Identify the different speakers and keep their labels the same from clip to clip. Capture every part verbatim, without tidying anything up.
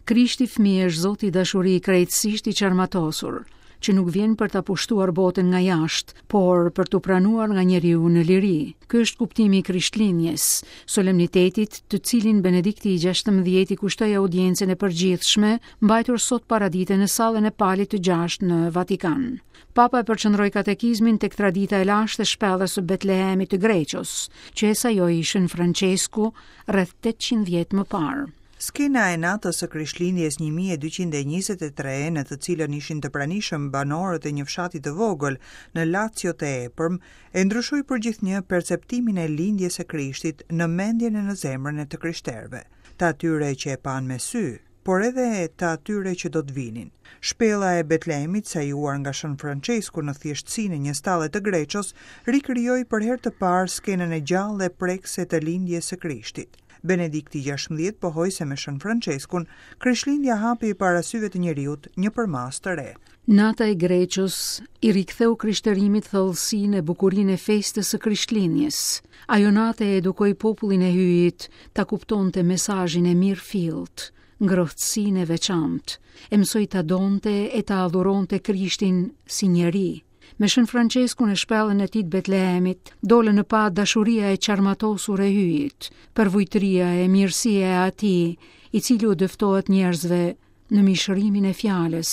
Speaker 1: Krishti fëmijë është Zoti dashuri krejtësisht i çarmatosur, që nuk vjen për ta pushtuar botën nga jashtë, por për t'u pranuar nga njeriu në liri. Ky është kuptimi i Krishtlindjes, solemnitetit të cilin Benedikti i gjashtëmbëdhjetë i kushtoi audiencën e përgjithshme, mbajtur sot paradite në sallën e Palit të gjashtë në Vatikan. Papa e përqendroi katekizmin tek tradita e lashtë e shpellës së Betlehemit të Greqos, që e sajoi Shën Francesku rreth tetëqind vjet më parë.
Speaker 2: Skena e natës së Krishtlindjes një mijë e dyqind e njëzet e tre, në të cilën ishin të pranishëm banorët e një fshati të vogël në Lazio të Epërm, e ndryshoi përgjithnjë perceptimin e lindjes së Krishtit në mendjen e në zemrën e të krishterëve, të atyre që e panë me sy, por edhe të atyre që do të vinin. Shpella e Betlehemit, sajuar nga Shën Francesku në thjeshtësinë e një stalle të Greqos, rikrijoi për herë të parë skenën e gjallë dhe prekëse të lindjes së Krishtit. Benedikti gjashtëmbëdhjetë pohoi se me Shën Franceskun, Krishtlindja hapi para syve të njeriut një përmasë të re.
Speaker 1: Nata e Greqos i riktheu krishterimit thellësinë e bukurinë e festës së Krishtlindjes. Ajo natë e edukoi popullin e Hyjit ta kuptonte mesazhin e mirëfillt, ngrohtësinë e veçantë, e mësoi ta donte e ta adhuronte Krishtin si njeri. Me Shën Franceskun e shpellën e tij të Betlehemit, dolën në pa dashuria e çarmatosur e Hyjit, përvujtëria e mirësia e atij, i cili u dëftohet njerëzve në mishërimin e fjalës,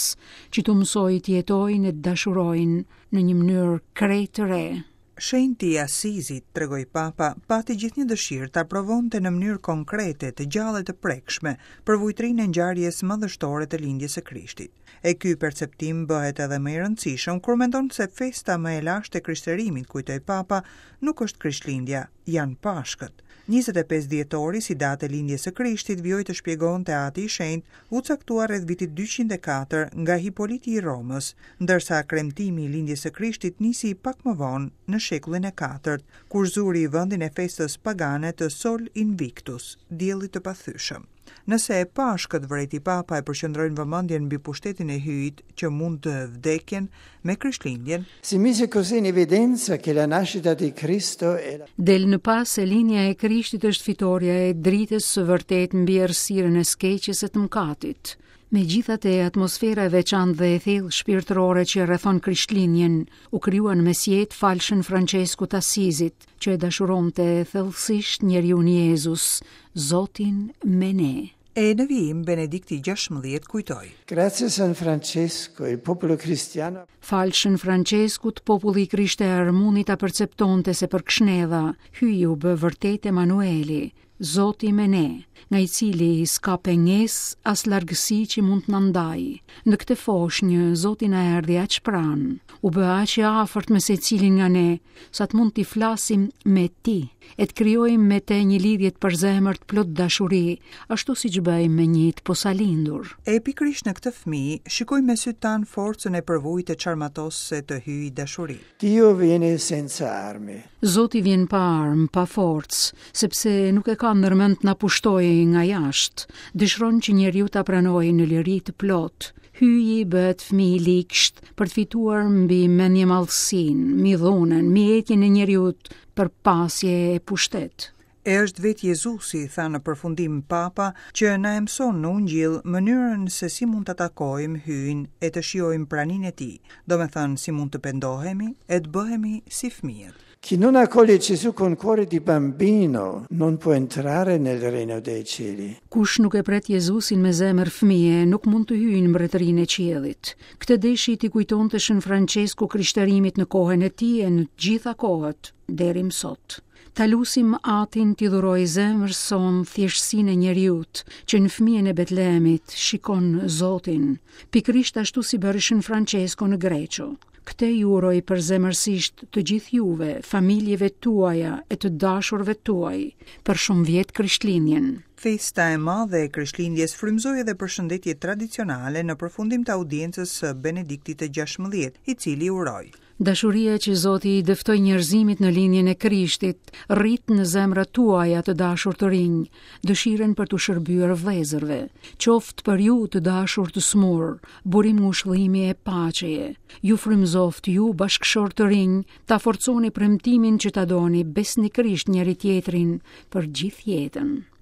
Speaker 1: që t'u mësojë të jetojnë e të dashurojnë në një mënyrë krejt të re.
Speaker 2: Shenjti i Asizit, tregoi Papa, pati gjithnjë dëshirë ta provonte në mënyrë konkrete, të gjallë e të prekshme, përvujtrinë e ngjarjes madhështore të lindjes së Krishtit. E ky perceptim bëhet edhe më i rëndësishëm kur mendon se festa më e lashtë e krishterimit, kujtoi Papa, nuk është Krishtlindja, janë Pashkët. njëzet e pesë dhjetori, si datë e lindjes së Krishtit, vijoi të shpjegonte Ati i Shenjtë, u caktua rreth vitit dyqind e katër nga Hipoliti i Romës, ndërsa kremtimi i lindjes së Krishtit nisi pak më vonë, në shekullin e katërt, kur zuri vendin e festës pagane të Sol Invictus, diellit të pathyshëm. Nëse e Pashkët, vrejti Papa, e përqendrojnë vëmendjen mbi pushtetin e Hyjit që mund të vdekjen me Krishtlindjen,
Speaker 3: Si mise così in evidenza che la nascita di Cristo è la
Speaker 1: Del në pas se lindja e Krishtit është fitoria e dritës së vërtetë mbi errësirën e skeqës e të mëkatit. Megjithatë, atmosfera e veçantë dhe e thellë shpirtërore që rrethon Krishtlindjen u krijua në mesjetë falë Shën Franceskut të Asizit, që e dashuronte thellësisht njeriun Jezus, Zotin me ne.
Speaker 2: E në vijim Benedikti gjashtëmbëdhjetë kujtoi.
Speaker 3: Grazie San Francesco, il popolo cristiano.
Speaker 1: Falë Shën Franceskut, populli i krishterë mundi ta perceptonte se për kshnedha Hyji u bë vërtet Emanueli, Zoti me ne, nga i cili s'ka pengesë as largësi që mund të na ndajë. Në këtë foshnjë Zoti na erdhi aq pranë, u bë aq i afërt me secilin nga ne, sa të mund t'i flasim me ti, e të krijojmë me te një lidhje të përzemërt plot dashuri, ashtu siç bëjmë me një të posalindur.
Speaker 2: E pikërisht në këtë fëmijë, shikojmë me sy tan forcën e përvujtë e çarmatosëse të Hyjit dashuri.
Speaker 3: Dio viene senza armi.
Speaker 1: Zoti vjen pa armë, pa forcë, sepse nuk e ka ndërmend të na pushtojë nga jashtë. Dëshiron që njeriu ta pranojë në liri të plotë. Hyji bëhet fëmijë i ligsht për të fituar mbi mendjemadhësinë, mbi dhunën, mbi etjen e njeriut për pasje e pushtet.
Speaker 2: E është vetë Jezusi, tha në përfundim Papa, që na e mëson në Ungjill mënyrën se si mund ta takojmë Hyjin e të shijojmë praninë e Tij, domethënë si mund të pendohemi e të bëhemi si fëmijët.
Speaker 3: Chi non accoglie Gesù con cuore di bambino non può entrare nel regno dei cieli.
Speaker 1: Kush nuk e pret Jezusin me zemër fëmije, nuk mund të hyjë në mbretërinë e qiellit. Këtë deshi ti kujtonte Shën Francesku krishterimit në kohën e tij e në të gjitha kohët, deri më sot. Ta lusim Atin t'i dhurojë zemrës sonë thjeshtësinë e njeriut, që në fëmijën e Betlehemit shikon Zotin, pikërisht ashtu si bëri Shën Francesco në Greqo. Këtë ju uroj përzemërsisht të gjithë juve, familjeve tuaja e të dashurve tuaj, për shumë vjet Krishtlindjen.
Speaker 2: Festa e madhe e Krishtlindjes frymëzoi edhe përshëndetje tradicionale në përfundim të audiencës së Benediktit të gjashtëmbëdhjetë, i cili uroi.
Speaker 1: Dashuria që Zoti i dëftoi njerëzimit në lindjen e Krishtit, rrit në zemrat tuaja të dashur të rinj, dëshirën për t'u shërbyer vëllezërve, qoftë për ju të dashur të smur, burim ngushëllimi e paqeje. Ju frymëzoft ju bashkëshort të rinj, ta forconi premtimin që ta doni besnikërisht njëri tjetrin për gjithë jetën.